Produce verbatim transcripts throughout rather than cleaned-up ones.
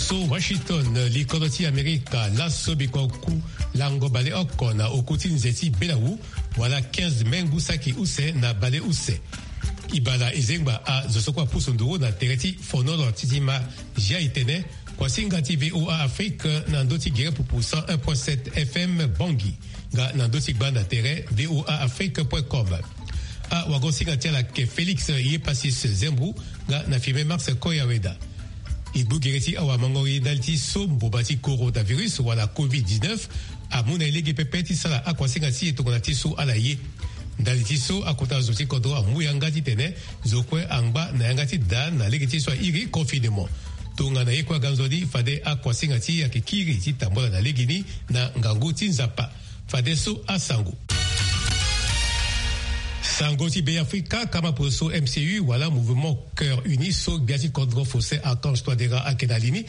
So Washington, likolo ti Amerika, laso biko ku lango baleoko na oku ti nze ti belawu, wala quinze mai ngu saki use na baleuse. Ibala ezengba azo so kue apusu nduru na tere ti fonolo ti ti ma. Zia itene, kuasinga ti VOA Afrique na ndö ti gere pupu cent un point sept FM Bangui, nga na ndö ti gbanda tere voa afrique point com. Awagosinga ti ala ke Félix Yepasis Zembou, nga na filme Max Koyaweda. E gbu gere ti awamangori ndali ti so mboba ti coronavirus wala covid dix-neuf amu na e lege pepe ti sara akuasinga ti e tongana ti so ala ye. Ndali ti so akota zo ti kodro amu yanga titene zo kue angba na yanga ti da na lege ti so airi confinement. Tongana ye kue aga nzoni fade akuasinga ti e ayeke kiri ti tambula na legeni na ngangu ti Nzapa. Fadeso asango. Sango ti Beafrika, kama poso MCU wala Mouvement Cœur Uni so gbia ti kodro Faustin Archange Touadéra ayeke na li ni.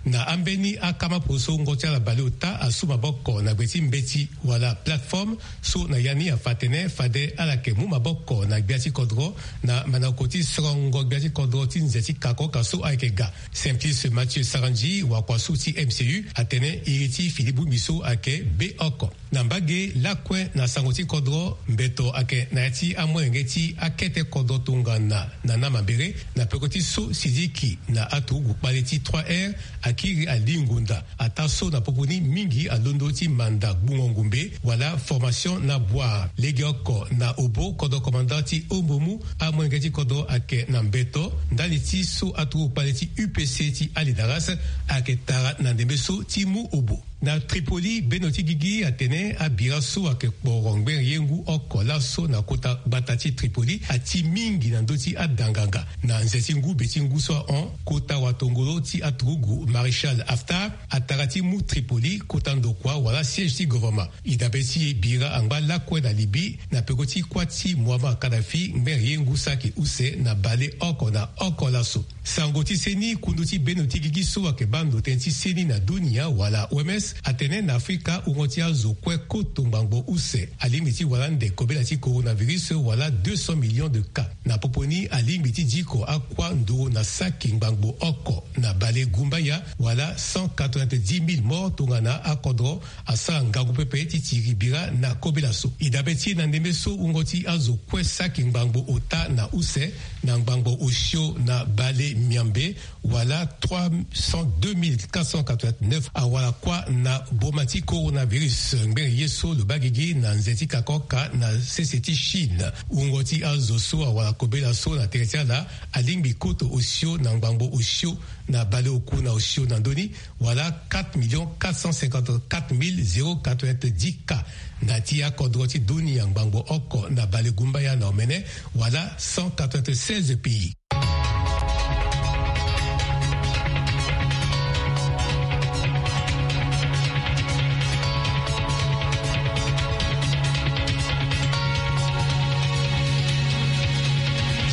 Na ambeni akama poso wungo ti ala baleota asu maboko na gbe ti mbeti wala plateforme so na ya ni afa atene fade ala yeke mu maboko na gbia ti kodro na mandango ti sorongo gbia ti kodro ti nze ti kakoka so ayeke ga. Simplice Mathieu Sarandji, wakua so ti MCU, atene iri ti fini bongbi so ayeke be oko. Na mbage lakue na sango ti kodro, mbeto ayeke na ya ti amolenge ti akete kodro tongana Nana Mambere na peko ti so Sidiki na aturugu kpale ti trois R akiri alingo nda. Ataa so na popo ni mingi alondo ti manda gbungo ngumbe wala formation na bua. Legeoko na obo kodro commandant ti Ombomu, amolenge ti kodro ayeke na mbeto ndali ti so aturugu kpale ti UPC ti Alidaras ayeke tara na ndembe so ti mu obo. Na Tripoli, beno ti gigi atene abira so ayeke kporo ngbere ye ngu oko laso na kota gbata ti Tripoli ati mingi na ndö ti adanganga. Na nze ti ngu be ti ngu so ahon, kota watongolo ti aturugu Maréchal Haftar atara ti mu Tripoli kota ndokua wala siège ti gouvernement. E dabe ti e bira angba lakue na Libye na peko ti kuâ ti Muammar Kadhafi ngbere ye ngu saki use na baleoko na oko laso. Sango ti seni, kundu ti beno ti gigi so ayeke baa ndo tënë ti seni na dunia wala OMS atene na Afrika wungo ti azo kue koto ngbangbo use alingbi ti wara ande kobela ti coronavirus wala deux cents millions de cas. Na popo ni alingbi ti diko akua nduru na saki ngbangbo oko na bale gumbaya wala cent quatre-vingt-dix mille morts tongana akodro asara ngangu pepe ti tiri bira na kobela so. E dabe ti e na ndembe so wungo ti azo kue saki ngbangbo ota na use na ngbangbo osio na bale miambe wala trois cent deux mille quatre cent quatre-vingt-neuf awara kuâ na boma ti coronavirus. Ngbere ye so lo baa gigi na nze ti kakoka na sese ti Chine. Wungo ti azo so awara kobela so na tere ti ala alingbi koto osio na ngbangbo osio na baleoku na osio na ndö ni wala quatre millions quatre cent cinquante-quatre mille zéro quatre-vingt-dix cas. Na ti akodro ti dunia ngbangbo oko na balegumbaya na omene wala cent quatre-vingt-seize pays.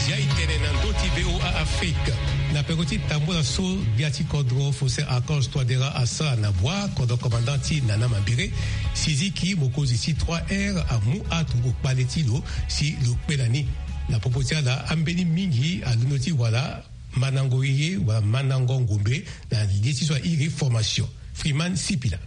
Zia itene na ndö ti VOA Afrique. Na peko ti tambula so gbia ti kodro Faustin Archange Touadéra asara na bua kodro commandant ti Nana Mambere, Sidiki mokonzi ti trois R amu aturugu kpale ti lo si lo kpe na ni. Na popo ti ala ambeni mingi alondo ti wara mandango ye wala mandango ngombe na ye ti so airi formation. Freeman Sipila.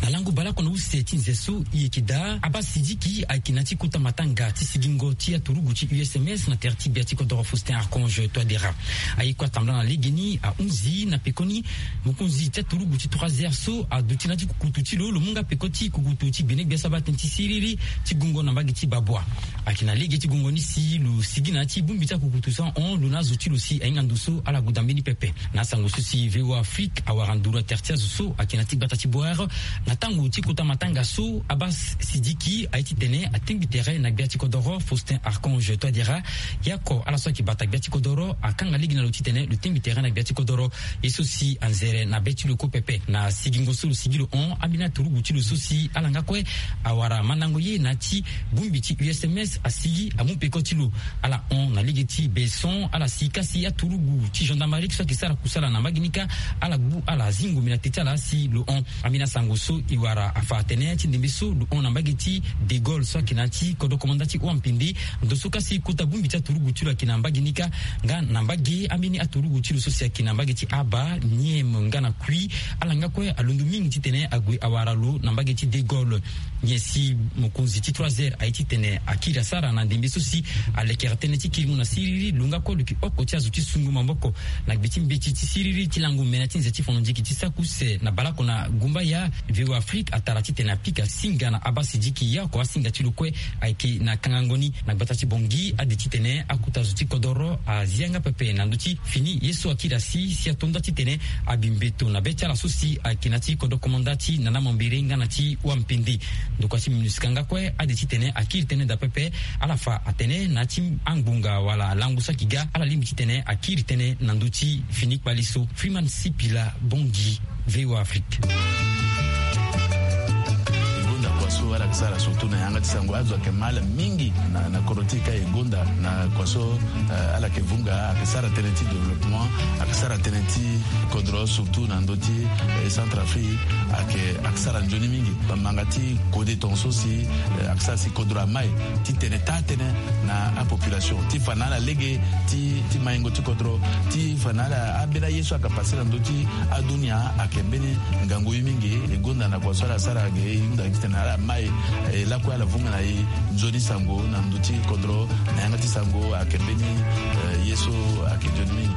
Na lango baleoko na use ti nze so e yeke daa, abaa Sidiki ayeke na ya ti kota matanga ti sigingo ti aturugu ti USMS na tere ti gbia ti kodoro Faustin Archange Touadéra. Aye kue atambula na legeni ahunzi na pekoni mokonzi ti aturugu ti trois R so aduti na ya ti kukutu ti lo, lo mu nga peko ti kukutu ti gbene gbia so abaa tënë ti siriri ti gungo na mbage ti babua. Ayeke na lege ti gungo ni si lo sigi na ya ti bongbi ti akukutu so ahon lo na azo ti lo si ahinga ndo so ala guda mbeni pepe. Na asango so si VOA Afrique awara nduru na tere ti azo so ayeke na ya ti gbata ti Bouar na tango ti kota matanga so, abaa Sidiki aye titene atengbi tere na gbia ti kodoro Faustin Archange Touadéra. Ye oko ala so ayeke bata gbia ti kodoro akanga lege na lo titene lo tengbi tere na gbia ti kodoro. Ye so si anzere na be ti lo kue pepe. Na sigingo so lo sigi lo hon, ambeni aturugu ti lo so si ala nga kue awara mandango ye na ya ti bongbi ti USMS asigi amu peko ti lo. Ala hon na lege ti beson, ala si kasi aturugu ti gendarmerie so ayeke sara kusala na mbage ni kâ, ala gbu ala zi ngombe na te ti ala si lo hon. Ambeni asango so E wara afa atene ti ndembe so lo hon na mbage ti De Gaulle so ayeke na ya ti kodro komanda ti Wampende. Ndo so kasi kota bongbi ti aturugu ti lo ayeke na mbage ni kâ. Nga na mbage ambeni aturugu ti lo so si ayeke na mbage ti Aba, Niem nga na Kui, ala nga kue alondo mingi titene ague awara lo na mbage ti De Gaulle. Nyen si mokonzi ti trois R aye titene akiri asara na ndembe so si alekere tënë ti kiringo na siriri? Lo nga kue lo yeke oko ti azo ti sungo maboko na gbe ti mbeti ti siriri ti lango mene ti nze ti fono nziki ti saki use na baleoko na Gumbaya. V O A Afrique atara titene apika singa na Abba Sidiki, ye oko asinga ti lo kue ayeke na kangango ni. Na gbata ti Bangui, ade titene akota zo ti kodoro azi yanga pepe na ndö ti fini ye so akiri asi si ato nda titene abi mbeto na be ti ala so si ayeke na ya ti kodro komanda ti Nana Mambéré nga na ti Wampende. Ndokua ti MINUSCA nga kue, ade titene akiri tënë daa pepe, ala fa atene na ya ti angbonga wala lango saki ga, ala lingbi titene akiri tënë na ndö ti fini kpale so. Freeman Sipila, Bangui, V O A Afrique. E gonda kua so ala yeke sara surtout na yanga ti sango, azo ayeke ma ala mingi na, na kodro ti e ka. E gonda na kua so, eh, ala yeke vunga, ayeke sara tënë ti développement, ayeke sara tënë ti kodro, surtout na ndö ti, eh, Centrafrique, ayeke, ayeke sara nzoni mingi. Bamanga ti kode tongaso si, eh, ayeke sara si kodro amai titene taa tënë na apopulation, ti fa na ala lege ti, ti maingo ti kodro, ti fa na ala ambeni aye so ayeke pase na ndö ti adunia, ayeke mbeni ngangu ye mingi. E gonda na kua so ala sara ge, e hunda titene ala mai, eh, lakue ala vunga na e nzoni sango na ndö ti kodro, na yanga ti sango ayeke mbeni, eh, ye so ayeke nzoni mingi.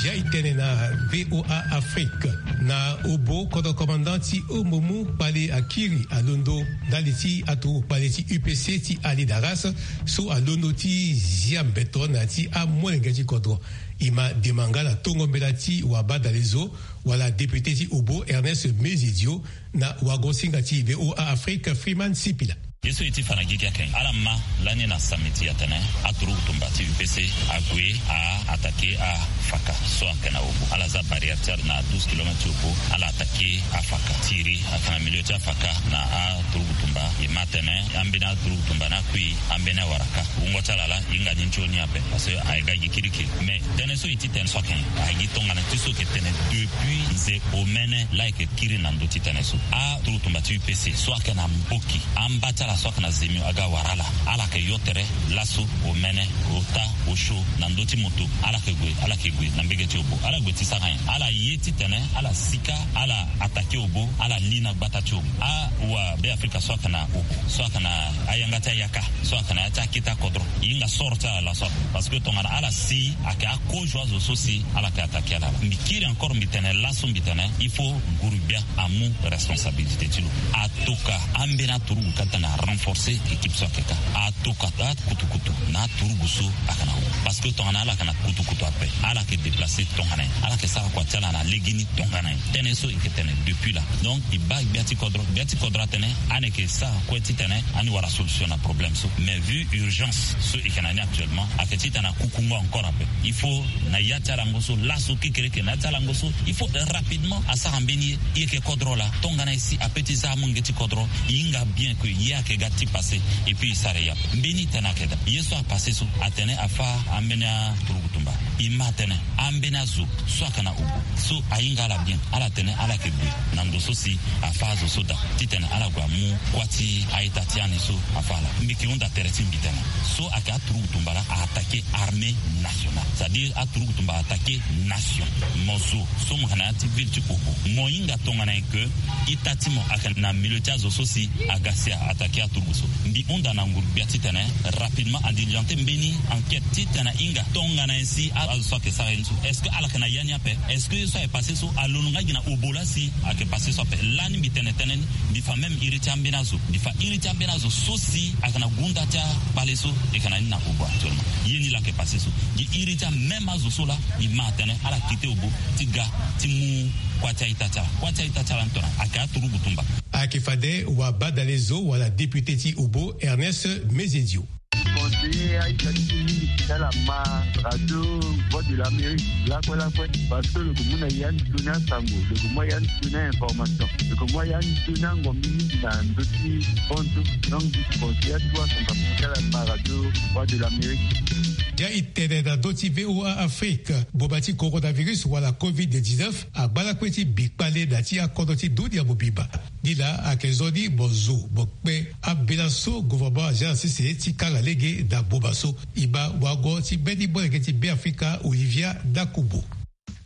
Zia e tene na V O A Afrique. Na obo kodro komanda ti Omomu, kpale akiri alondo ndali ti aturugu kpale ti U P C ti Ali Daras, so alondo ti zia mbeto na ya ti amolenge ti kodro. E ma dema nga na tongo mbela ti wabadalezo wala député ti obo Ernest Mezedio na wago-singa ti V O A Afrique, Freeman Sipila. Ye so e ti fa na gigi ayeke ala ma lani na samedi atene aturugu tumba ti U P C ague a attaquer afaka so ayeke na obo. Ala za barrière ti ala na douze kilomètres ti obo, ala attaquer afaka. Tiri ayeke na milieu ti afaka na aturugu tumba. E ma atene ambeni aturugu tumba ni akui, ambeni awara kâ. Wungo ti ala laa e hinga ni nzoni ape, parce que ayeke ga gi kirikiri. Mais tënë so e ti tene so ayeke, ayeke gi tongana ti so e yeke tene depuis nze omene laa e yeke kiri na ndö ti tënë so. Aturugu tumba ti U P C so ayeke na mboki, amba ti ala so ayeke na zemio aga wara ala. Ala yeke yo tere laso, omene, ota, osio na ndö ti moto. Ala yeke gue, ala yeke gue na mbege ti obo. Ala gue ti sara nyen? Ala ye titene ala sika, ala attaquer obo, ala li na gbata ti obo. Awabeafrika so ayeke na obo, so ayeke na ayanga ti ayaka, so ayeke na ya ti akete akodro, e hinga sort ti ala laso ape. Parce que tongana ala si, ayeke akozo azo so si ala yeke attaquer ala laa. Mbi kiri encore, mbi tene laso, mbi tene il faut nguru-gbia amu responsabilité ti lo. Atoka ambeni aturugu ka tene a renforcer équipe so ayeke kâ. Atoka akutukutu na aturugu so ayeke na obo. Parce que tongana ala yeke na kutukutu ape, ala yeke déplacer tongana nyen? Ala yeke sara kua ti ala na legeni tongana nyen? Tënë so e yeke tene depuis là. Donc e baa gbia ti kodro, gbia ti kodro atene ani yeke sara kue titene ani wara solution na problème so. Mais vu urgence so e yeke na ni actuellement, ayeke titene akukungo encore ape. Il faut na ya ti alango so laso kekereke, na ya ti alango so il faut rapidement asara mbeni ye. E yeke kodro laa, tongana e si ape ti za amolenge ti kodro, e hinga bien que ye ayeke ga ti passer, et puis e sara e ya. Mbeni tënë ayeke daa. Ye so apasser so atene afa ambeni aturugu tumba. E ma atene ambeni azo so ayeke na obo so ahinga ala bien, ala tene ala yeke gue na ndo so si afa azo so daa, titene ala gue amu kuâ ti a-ita ti ani so afa ala. Mbi yeke hunda tere ti mbi tene so ayeke aturugu tumba laa a attaquer armée nationale, c'est-à-dire aturugu tumba a attaquer nation. Mo zo so mo yeke na ya ti ville ti obo, mo hinga tongana nyen que ita ti mo ayeke na milieu ti azo so si aga si a attaquer aturugu so. Mbi hunda na nguru-gbia titene rapidement a diligenter mbeni enquête titene a hinga tongana nyen si a, azo so ayeke sara ye ni so, est-ce que ala yeke na ya ni ape? Est-ce que ye so ayeke passer so alondo nga gi na obo laa si ayeke passer so ape? Lani mbi tene tënë ni, mbi fa même iri ti ambeni azo, mbi fa iri ti ambeni azo so si ayeke na gunda ti akpale so e yeke na ni na obo actuellement. Ye ni laa ayeke passer so. Gi iri ti amême azo so laa e ma atene ala quitter obo ti ga ti mu kuâ ti a-ita ti ala. Kuâ ti a-ita ti ala ni tongana ayeke aturugu tumba. Ayeke fade wabadalezo wala député ti obo Ernest Mezedio. Te aita ti mingi ti ala ma radio Voix de l'Amérique lakue lakue, parce que lo ke mu na ya ni tuni asango, lo ke mu ya ni tuni ainformation, lo ke mu ya ni tuni angombi mingi na ndö ti bantu. Donc dispense ya ti wa sango ti ala ma radio Voix de l'Amérique. Dia i tene na ndö ti VOA Afrique, boba ti coronavirus wala covid dix-neuf agba lakue ti bi kpale na ti akodro ti dunia mobimba. Ni laa ayeke zo ni mo zo mo kpe ambela so gouvernement azia na sese ti kanga lege na boba so. E ma wango ti mbeni molenge ti Beafrika, Olivia Dakubo.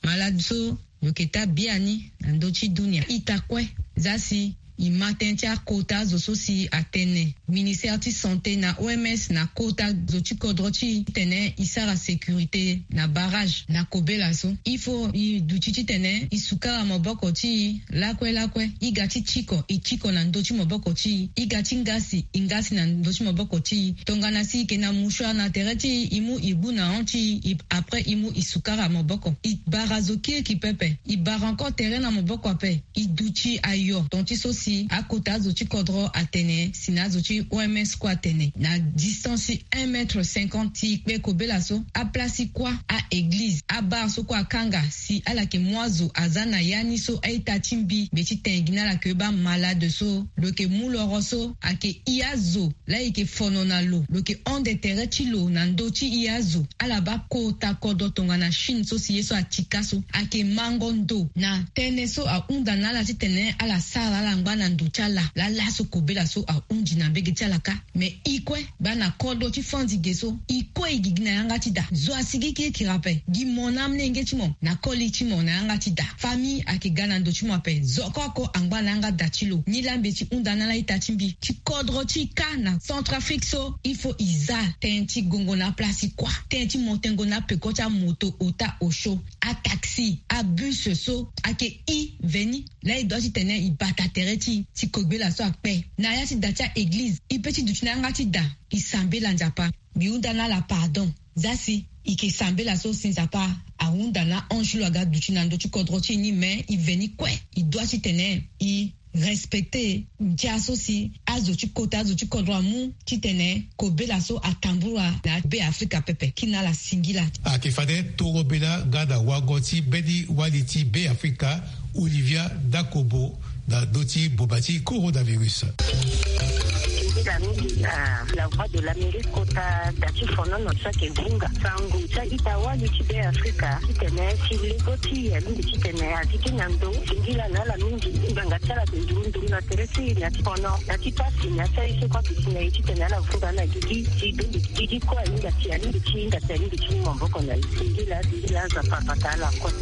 Malade so lo yeke taa biani na ndö ti dunia ita kue. Za si e ma tënë ti akota zo so si atene ministère ti santé na O M S na kota zo ti kodro ti e titene e sara sécurité na barrage na kobela so. Il faut e duti titene e sukara maboko ti e lakue lakue. E ga ti tiko, e tiko na ndö ti maboko ti e. E ga ti ngasi, e ngasi na ndö ti maboko ti e. Tongana si e yeke na mouchoir na tere ti e, e mu e gbu na hon ti e, après e mu e sukara maboko. E bara zo kirikiri pepe. E bara encore tere na maboko ape. E duti ayo ton ti so si akota azo ti kodro atene si na azo ti O M S kue atene na distance ti un mètre cinquante ti e kpe kobela so. Aplace ti kuâ, a-église, abar so kue akanga si ala yeke mu azo aza na ya ni so a-ita ti mbi. Mbi ti tene gi na ala ke baa malade so lo yeke mu loro so ayeke i azo laa e yeke fono na lo, lo yeke hon de tere ti lo na ndö ti i azo. Ala baa kota kodro tongana Chine so si ye so atika so ayeke mango ndo na tënë so ahunda na ala titene ala sara ala ngba na ndo ti ala. Laa laso kobela so ahundi na mbege ti ala kâ. Me e kue baa na kodro ti fandi ge so, e kue e gigi na yanga ti da. Zo asigi kirikiri ape. Gi mo na amolenge ti mo na koli ti mo na yanga ti da. Famille ayeke ga na ndo ti mo ape. Zo oko oko angba na yanga da ti lo. Nilaa mbi ti hunda na ala ita ti mbi ti kodro ti e kâ na Centrafrique so, il faut e za tënë ti gongo na aplace ti kuâ, tënë ti mo tengo na apeko ti amoto, ota, osio, ataxi, abus so ayeke e veni. Laa e doit titene e bata tere ti e ti kobela so akpe. Na ya ti da ti a-église e pe ti duti na yanga ti da e sambela Nzapa. Mbi hunda na ala pardon. Za si e yeke sambela so si Nzapa ahunda na ange lo aga duti na ndö ti kodro ti e ni, me e veni kue. E doit titene e respecter ndia so si azo ti kota, azo ti kodro amu titene kobela so atambula na Beafrika pepe. Kina ala singila. Ayeke fade toro bela nga na wango ti mbeni wali ti Beafrika, Olivia Dakobo, na ndö ti boba ti coronavirus. Singila mingi na La Voix de l'Amérique kota da ti fonono so ayeke vunga sango ti a-ita wali ti Beafrika titene ti lego ti e alingbi titene azi ti na ndo. Singila na ala mingi. Ngbanga ti ala ayeke nduru nduru na tere ti e na ti fono, na ti pasi, na ti aye so kue aduti na e titene ala vunga na gigi ti dundi. Gigi kue ahinga ti, alingbi ti hinga ti, alingbi ti mu maboko na e. Singila, singila, Nzapa abata ala kue.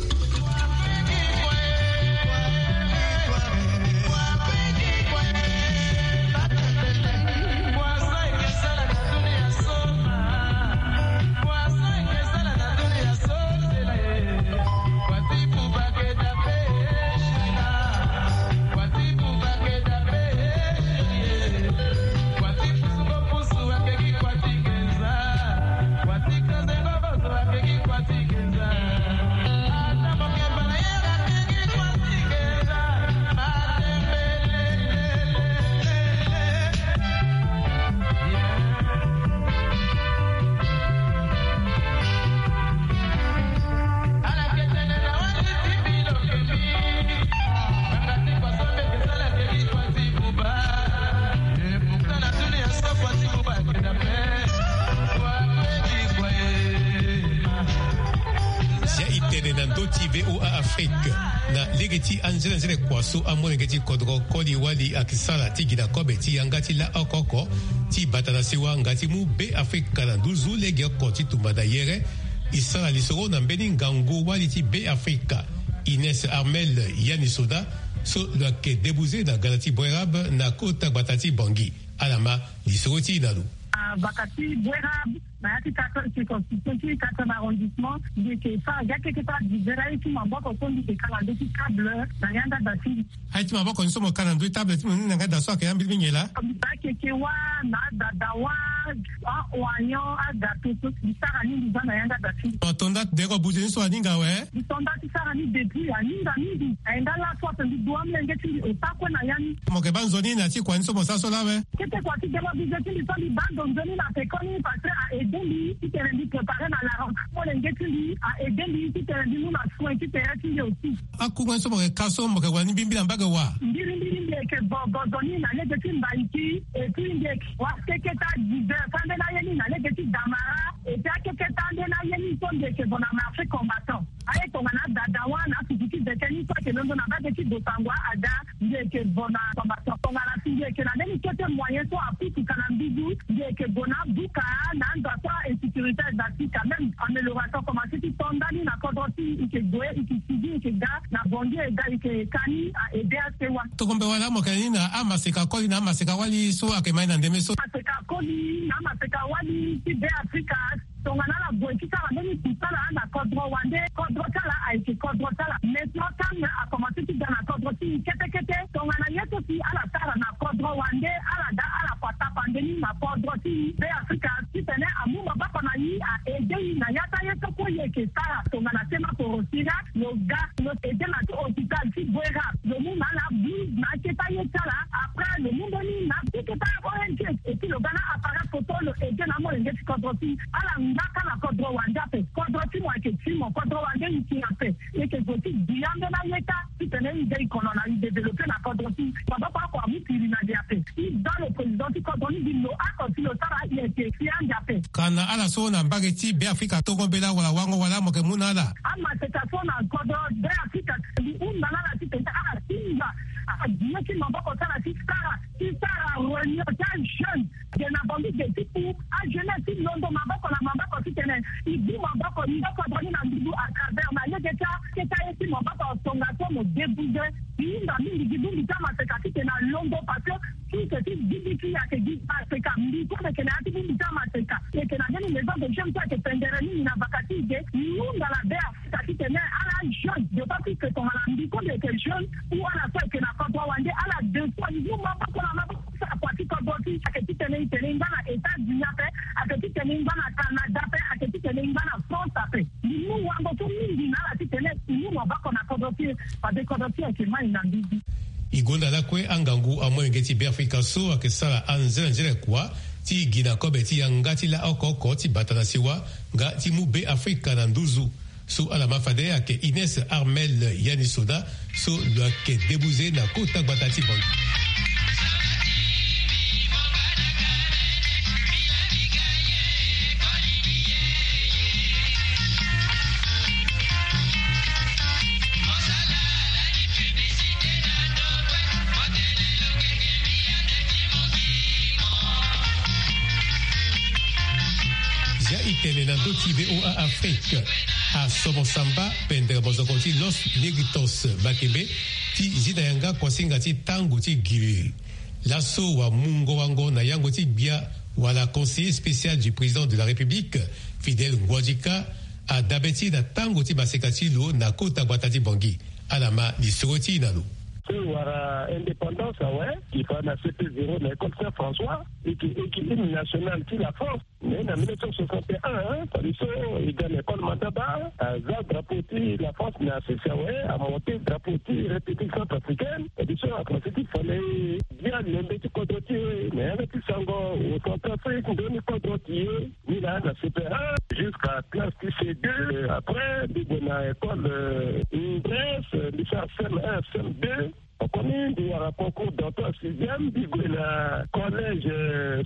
Sia e tene na ndö ti VOA Afrique na lege ti anzenanzene kua so amolenge ti kodro koli wali ayeke sara ti gi na kobe ti yanga ti la oko oko ti bata na sewa nga ti mu Beafrika na nduzu legeoko ti tumba na yere. E sara lisoro na mbeni ngangu wali ti Beafrika, Ines Armel Yanisoda, so lo yeke debuze na gala ti Boerab na kota gbata ti Bangui. Ala ma lisoro ti e na lo. Ah, baka ti Boerab, na ya ti quatrième circonscription ti quatrième arrondissement, mbi yeke fa, ya keke fa, mbi zia aye ti maboko so mbi yeke ka na ndö ti table na yanga da ti mbi. Aye ti maboko ni so mo ka na ndö ti table ti mo ni na yanga da so ayeke ya mbili mingi laa. Mbi baa keke wâ, na ada da wâ. Aoignon, agato so mbi sara ni mbi za na yanga da ti mbi. Ato nda ti deko buze ni so aninga awe. Mbi to nda ti sara ni depuis aninga mingi. Aye nda laso ape mbi du amolenge ti mbi ota kue na ya ni. Mo yeke baa nzoni na ti kua ni so mo sara so laa awe. Kete kua ti deko buze ti mbi so mbi baa ndo nzoni na pekoni parce que a aidé mbi titene mbi préparer na la rentrée. Molenge ti mbi a aidé mbi titene mbi mu na soin ti tere ti mbi aussi. Akungba ni so mo yeke ka so mo yeke wani mbirimbiri na mbage wa? Mbirimbiri mbi yeke gogo nzoni na lege ti mbaiki. Et puis mbi yeke wa keketa dix heures ande na ye ni na lege ti damara. Et puis akeketa ande na ye ni so mbi yeke zo na marché combattant. Aye tongana dadawa na afufu ti zeke ni so ayeke londo na mbage ti bosango ada. Mbi yeke zo na combattant tongana si mbi yeke na mbeni kete moyen so aputuka na mbizu. Mbi yeke zo na buka na anda so insécurité eza ti quand même amélioration commencé ti to ndani na kodro ti ike gue ike sigi ike ga na bongi ega ike kani a ede asewa. Tongombe wala mo yeke ni na amaseka koli na amaseka wali so ayeke mai na ndeme so. Amaseka koli na amaseka wali ti be afrika. Tongana ala gue ti sara mbeni kusala na kodro wande kodro ti ala ayeke kodro ti ala. Maintenant calme akomanse ti ga na kodro ti kete kete. Tongana ye so si ala sara na kodro wande ala ga ala kua tapande ni na kodro ti be afrika. Titene amu maboko na ye a aide ye na ya ti aye so kue ye yeke sara tongana sema porosira. Lo ga lo aide na ti hôpital ti guera. Lo mu na ala bus na akete aye ti ala. Après lo mu mbeni na ti kete aye ong et puis lo ga na appareil photo lo aide na amolenge ti kodro ti ala ngba kâ na kodro wande ape. Kodro ti mo ayeke ti mo kodro wande e ti ape. E yeke zo ti di ambeni aye kâ titene e ga e kono na e développer na kodro ti maboko oko amu kiri na li ape. E da lo président ti kodro ni mbi lo oko si lo sara e yeke si ande ape. Ka na ala so na mbage ti be afrika tongo mbela wala wango wala mo yeke mu na ala. Amaseka so na kodro be afrika mbi hunda na ala titene ala tinga ala di ye ti maboko ti ala ti sara ti sara réunion ti ajeune. Ge na bangi ge ti ku ajeunesse ti londo maboko na maboko titene e bu maboko ni kodro ni na nduzu à travers na lege ti akete aye ti maboko tongaso mo débouze. E hinga mingi gi bongbi ti amaseka titene alondo parce que tout ce ti gigi ti e ayeke gi maseka mbi so mbi yeke na ya ti bongbi ti amaseka. E yeke na mbeni maison de jeune so ayeke pendere mingi na vaka ti e ge. E hunda na be afrika titene ala jeune d'autant plus que tongana mbi so mbi yeke jeune ou ala so ayeke na kodro wande ala deux fois e mu maboko na maboko ti sara kua ti kodro ti e ayeke titene e tene e ngba na états-unis ape. Ayeke titene e ngba na canada ape ayeke titene e ngba na france ape. Mbi mu wango so mingi na ala titene e mu maboko na kodro ti e. Fade kodro ti e ayeke mai na mbizi. E gonda lakue angangu amolenge ti be afrika so ayeke sara anzenanzene kua ti gi na kobe ti yanga ti la oko oko ti bata na siwa nga ti mu be afrika na nduzu. So ala ma fade ayeke ines armel yani soda so lo yeke débouze na kota gbata ti bangi. Zia e tene na ndö ti voa afrique. Asomo samba pendere mozoko ti los negritos makebe ti zi na yanga kuasinga ti tango ti giri. Laso wamungo wango na yango ti gbia wala conseiller spécial du président de la république, fidèle nguadika, adabe ti na tango ti maseka ti lo na kota gbata ti bangi. Ala ma lisoro ti e na lo. So e wara indépendance awe e fa na cp zéro na école saint françois. E ke e ke hymne national ti la france. Mais na mille neuf cent soixante et un, fade so e ga na école mandaba aza drapeau ti la france na sese awe, amonte drapeau ti république centrafricaine. Fade so akomanse ti fale dia lembe ti kodro ti e na yanga ti sango au centrafrique ndoni kodro ti e. Ni laa na cp un jusqu'à classe ti c deux. Après mbi gue na école, grèce mbi sara cm un cm deux. Pokomi mbi wara concours d'entrée en sixième mbi gue na collège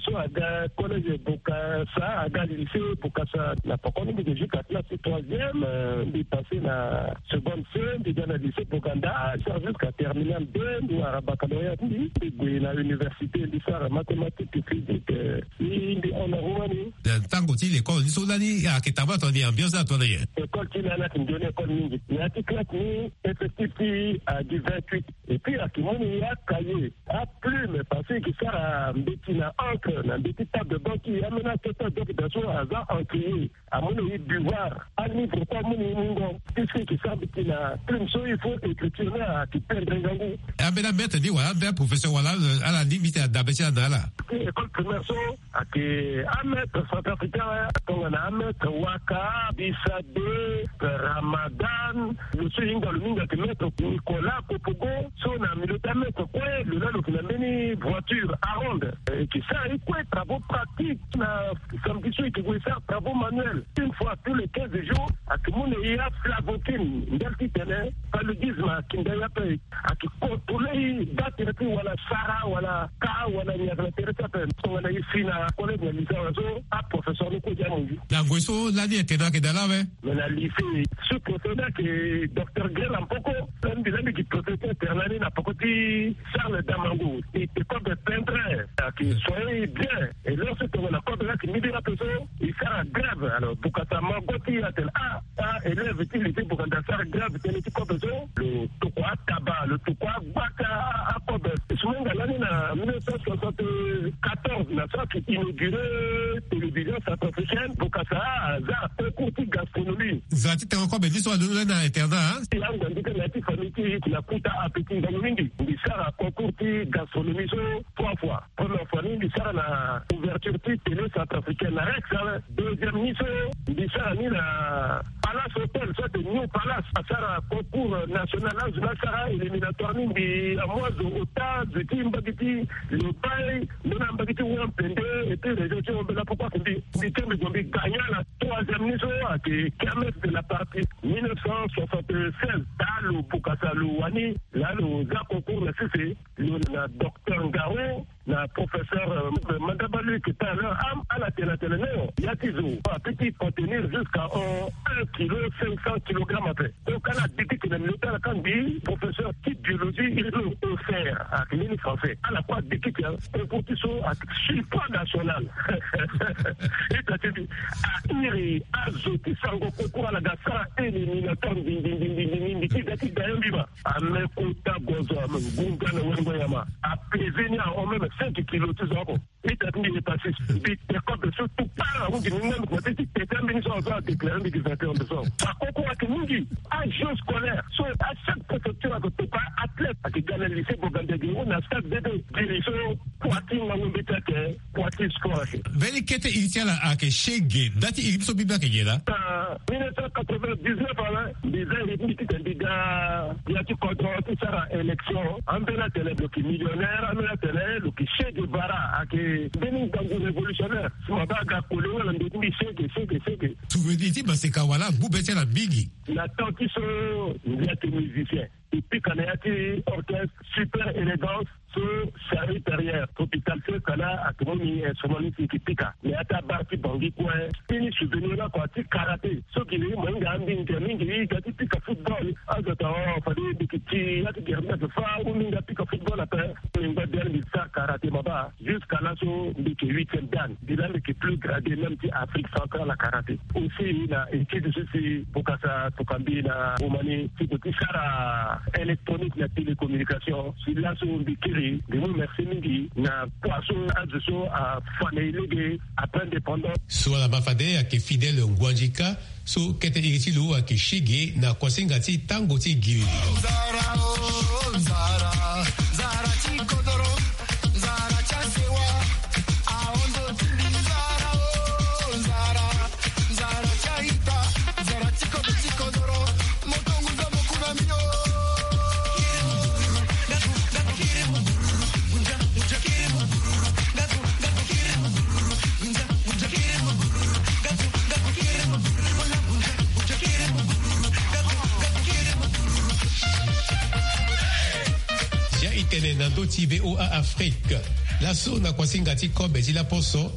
so aga collège bokasa aga lycée bokasa. Na pokomi mbi gue jusqu'à classe ti troisième. Mbi passe na seconde c mbi ga na lycée boganda. Sara jusqu'à terminale deux mbi wara baccalauréat mbi mbi gue na université mbi sara mathématique physique. Mbi mbi hon na rumani. Ntango ti l'école ni so lani ayeke tabla tongana ni ambiance ni atongana nyen? École ti lani ayeke ndioni école mingi na ya ti classe ni effectif ti agi vingt-huit. Et puis ayeke mu ni acahier aplume parce que e ke sara mbeti na encre na mbeti table de banque ti e ambeni akete adoki daa so aza encrier. Amu na e devoir alivre kue amu na e mungo. Puisque e ke sara mbeti na plume so il faut écriture ni ayeke pendre ngangu. Ambeni amaître ni wala ambeni aprofesseur wala ala ni mbi tene adabe ti ala na ala? École primaire so Ake amaître centrafricain, tongana amaître Waka, Bisade, Ramadan, lo so hinga lo mingi ake maître Nicolas Kopogo, so na milieu ti amaître kue lo na lo yeke na mbeni voiture aronde. Eke sara ye kue travaux pratiques na samedi so eke gue sara travaux manuels. Une fois tous les quinze jours, ake mu na ye aflavokine, ndali ti tene paludisme akinda ye ape. Ake contrôler ye, baa tere ti wala sara wala ka wala nyaga na tere ti ape. Tongana ye si na collègue na lycée wala so, aprofesseur ni kue dia amu ngi. Na ngoi so lani internat ayeke daa laa awe? Mais na lycée, sous-préfet ni ayeke docteur Grela Mpoko. Lani mbi lani gi professeur internat ni na poko ti Charles Damango. E te kobe pendre, ake soigner ye bien. Et lorsque tongana kobe ni ake mbi bira ape so, e sara grève. Alors bokasa mago ti e atene ah, ah, élève ti lycée Boganda asara grève tënë ti kobe so. Lo tokua ataba, lo tokua agbata akobe. Sumenga lani na mille neuf cent soixante-quatorze na so ake inauguré télévision centrafricaine. Bokasa aza concours ti gastronomie. Nzara ti tengo kobe ni so alondo lani na internat, hein? Ti angua ndika na ya ti famille ti e ti na kuta ape ti ngangu mingi. Mbi sara concours ti gastronomie so trois fois. Première fois ni mbi sara na ouverture ti télé centrafricaine na Rex, hein. Deuxième ni so mbi sara ni na Palace Hotel, so ate New Palace. Asara concours national, azo ni asara éliminatoire ni mbi amu azo ota, zo ti mbage ti Lobaye, ndona mbage ti Wampende, et puis région ti Hombela, pourquoi que mbi, mbi ti mbi zo mbi gagna na troisième ni so ake kermesse de la patrie mille neuf cent soixante-seize. Daa lo bokasa lo wani, laa lo za concours na sese. Lo na docteur Ngaro, na professeur, euh, Mandaba Luc, tout à l'heure, am, ala tene atene non, ya ti zo apeut ti contenir jusqu'à, euh, un kilo cinq cents kilogrammes ape. Donc ala dikiti na milieu ti ala, ka mbi professeur ti biologie hydro-océan, ake mbeni français. Ala kue adikiti, hein, concours ti so ake surpoids national. Ita ti mbi, a iri azo ti sango concours ala ga sara éliminatoire mbi, mbi, mbi ti da ti da ya mbi ma. Ame kota gozo, ame ngunga na wengo nyama. Apese ni ahon même cinq kilos ti zo oko. Ita ti mbi hépatite. Mbi te kobe so tout part, ahunzi ni même kote ti tete mbi ni so azo adéclaré mbi gi vingt et un décembre. Akoko ake mingi. Ajeux scolaire so, à chaque préfecture ake tout part athlète ake ga na lycée Boganda gi ou na stade bébé. Diri so poitrine na wembe ti ake poitrine score ake. Mbeni kete iri ti ala ake shege, nda ti iri ti so mbi mbi ake nyen laa? Na mille neuf cent quatre-vingt-dix-neuf ala, mbi za iri ti mbi titene mbi ga ya ti kodro ti sara élection. Ambeni atene lo yeke millionnaire, ambeni atene lo yeke Che Guevara, ake mbeni ngangu révolutionnaire. Si ma baa aga kole wala ndo ti mbi shege, shege, shege. Souvenir ti maseka wala angbu be ti ala mingi. Na temps ti so mbi yeke musicien. E pika na ya ti orchestre Super Élégance so Charlie Perrier, Tropical Fiesta laa ake mu ni instrument ni si e yeke pika. Na ya ti abar ti Bangui kue. Fini souvenir laa kua ti karaté. So gi na e mo hinga ambinga mingi, e ga ti pika football. Azo atene oh, fade mbi yeke ti ya ti gere ni ake fâ ou mbi hinga pika football ape. Mbi ngba biani mbi sara karaté ma baa. Jusqu'à laso mbi yeke huitième dan. Mbi laa mbi yeke plus gradé même ti Afrique centrale na karaté. Aussi na étude so si bokasa tokua mbi na Roumanie ti ko ti sara électronique na télécommunication. Si laso mbi kiri, mbi mu merci mingi na kua so azo so afa na e lege après indépendance. So ala ma fade ayeke Fidèle Nguandjika, so kete iri ti lo ayeke shege na kuasinga ti tango ti giri. Zia e tene na ndö ti V O A Afrique. Laso na kuasinga ti kobe ti laposo,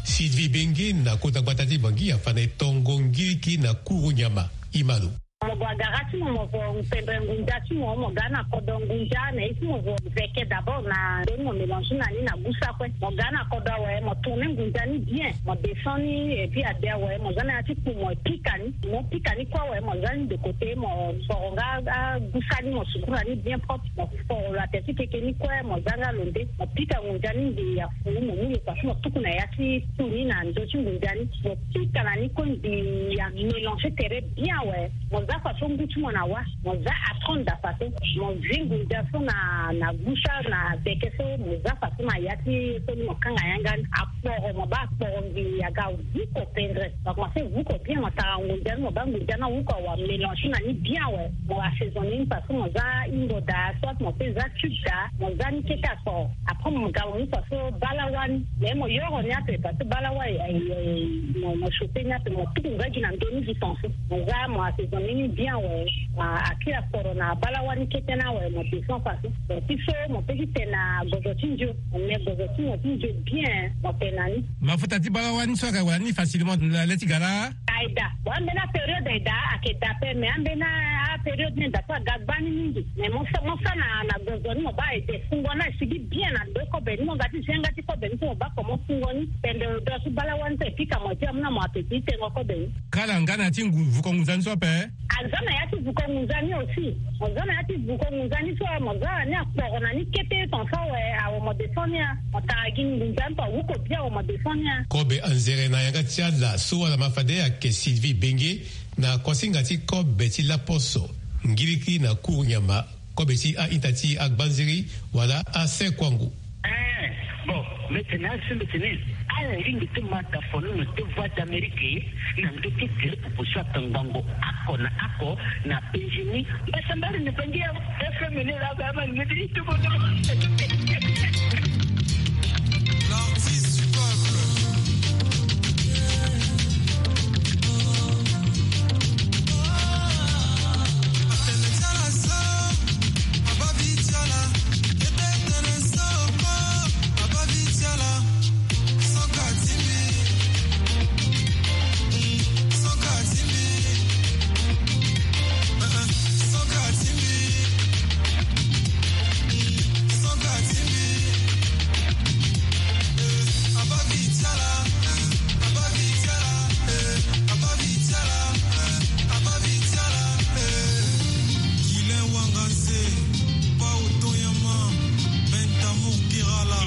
Sylvie Bengue na kota gbata ti Bangui afa na e tongo ngiriki na kuru nyama. E ma lo. Mo gue agara ti mo, mo vo pendre ngunza ti mo, mo ga na kodro ngunza na ye ti mo vo veke d'abord na ndoni mo mélange na ni na gusa kue. Mo ga na kodro awe, mo tourner ngunza ni bien, mo descend ni, et puis ade awe mo za na ya ti kpo mo pika ni. Mo pika ni kue awe mo za ni de côté, mo foro nga agusa ni, mo sukura ni bien propre, mo foro lo ate ti keke ni kue, mo za nga lo nde, mo pika ngunza ni nde ya fu, mo mu lo pasi mo tuku na ya ti kpo ni na ndö ti ngunza ni, mo pika na ni kue nde ya mélange tere bien awe. Mo za Faso ngu ti mo na wa, mo za atronda faso, mo zi ngunza so na na gusa na beke so, mo za faso na ya ti so ni mo kanga yanga ni akporo, mo baa akporo ngi yaga. Vuko pendre, mo komanse vuko bien, mo tara ngunza ni, mo baa ngunza ni awuko awa mélange na ni bien we. Mo assaisonner ni faso mo za ingo daa, soit mo pe za cube daa, mo za ni kete akporo. Après mo ga mo mu faso balawa ni, mais mo yoro ni ape parce que balawa mo mo chope ni ape, mo tuku nga gi na ndo ni gi ton so. Mo za mo assaisonner ni bien we. Akiri akporo na balawa ni kete na we mo descend faso. Ti so mo pe ti tene na gozo ti ndio, mais gozo ti mo ti ndio bien mo tene na ni. Mafuta ti balawa ni so ayeke wara ni facilement na le ti ga laa? Ayeke daa. Bon, ambeni apériode ayeke daa, ayeke daa ape, mais ambeni apériode ni daa so aga gbani mingi. Mais mo sa mo sa na na gozo ni mo baa ede fungo ni asigi bien na ndo kobe ni, mo ga ti zi yanga ti kobe ni so mo baa comment fungo ni. Pende do so balawa ni so e pika mo ti amu na mo ape ti tengo kobe ni. Kala nga na ya ti ngu vuko ngunza ni so ape? Aza na ya ti vuko ngunza ni aussi. Mo za na ya ti vuko ngunza ni so mo za na ni akporo na ni kete ton so awe awe mo descend ni a. Mo tara gi ngunza ni so awuko bien awe mo descend ni a. Kobe anzere na yanga ti ala so wala ma fade ayeke Sylvie Benge, na kuasinga ti kobe ti laposo, ngiriki na kuru nyama, kobe ti a-ita ti agbanziri wala asekuangu. Eh, bon, mbi tene asi mbi tene ala lingbi ti ma da fono na deux voix d'Amérique na ndö ti tere popo so atangbango oko na oko na penzi ni. Mbasambala na bangi ya F M ni la ba ma ni ti tubo no. L'artiste du peuple.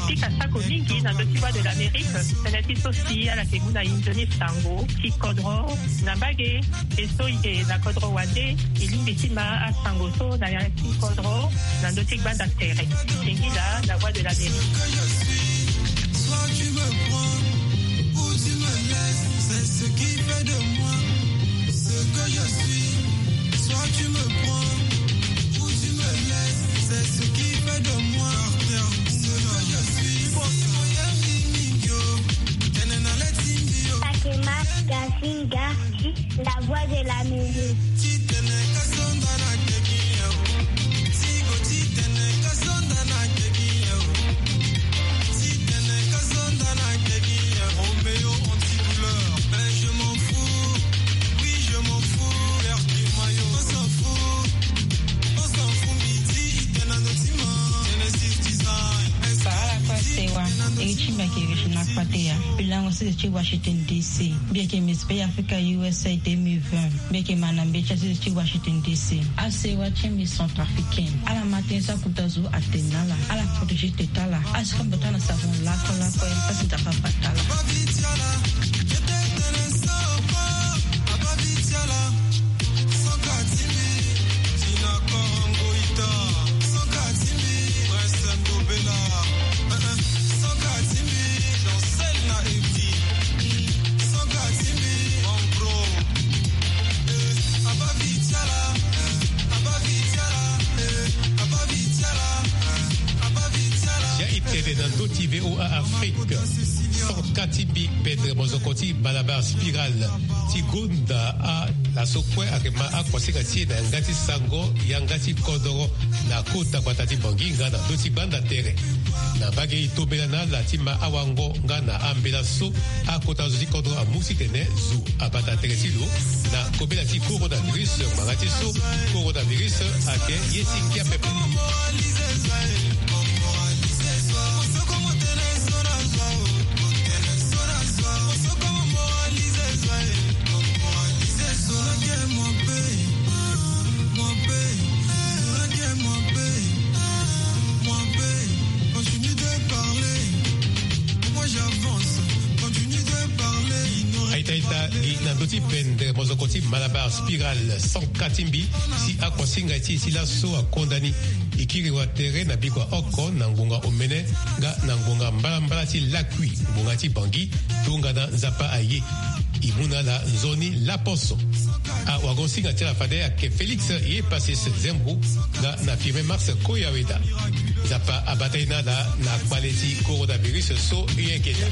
E pika sako mingi na ndö ti Voix de l'Amérique, tënë ti so si ala yeke mu na inzo ni sango ti kodro na mbage. E so e yeke na kodro wande, e lingbi ti ma asango so na ya ti kodro na ndö ti gbanda tere. Singila na Voix de l'Amérique. Takema Gasinga, la voix de la musique. Ala kue sewa. Iri ti mbi ayeke Regina Kpateya. Mbi lango sese ti Washington D C. Mbi yeke Miss Bay Africa U S A deux mille vingt. Mbi yeke ma na mbeti asese ti Washington D C. Asewa ti mbi centrafricaine. Ala ma tënë so akota zo atene na ala. Ala protéger tete ala. Asika mbi bata na savon lakue lakue, pasi nzapa bata ala. Ya e tene na ndö ti V O A Afrique. Sanka ti mbi pendre mozoko ti Malabar Spiral ti gonda a laso kue ayeke ma akuasinga ti e na yanga ti sango yanga ti kodoro na kota gbata ti Bangui nga na ndö ti gbanda tere. Na mbage e tombela na ala ti ma awango nga na ambela so akota zo ti kodro amu titene zo abata tere ti lo na kobela ti coronavirus, ngbanga ti so coronavirus ayeke ye ti ngia pepe. Aita ita, Gi na ndö ti pendere mozoko ti Malabar Spiral, sanka ti mbi, si akuasinga ti e ti laso akonda ni. E kiri wa tere na bikua oko na ngbonga omene nga na ngbonga mbalambala ti lakui, ngbonga ti Bangui, tongana Nzapa aye. E mu na ala nzoni laposo. Awagosinga ti ala fade ayeke Félix Epasis Zembro nga na Firmin Max Koyaweda. Nzapa abata ye na ala na kpale ti coronavirus so e yeke daa.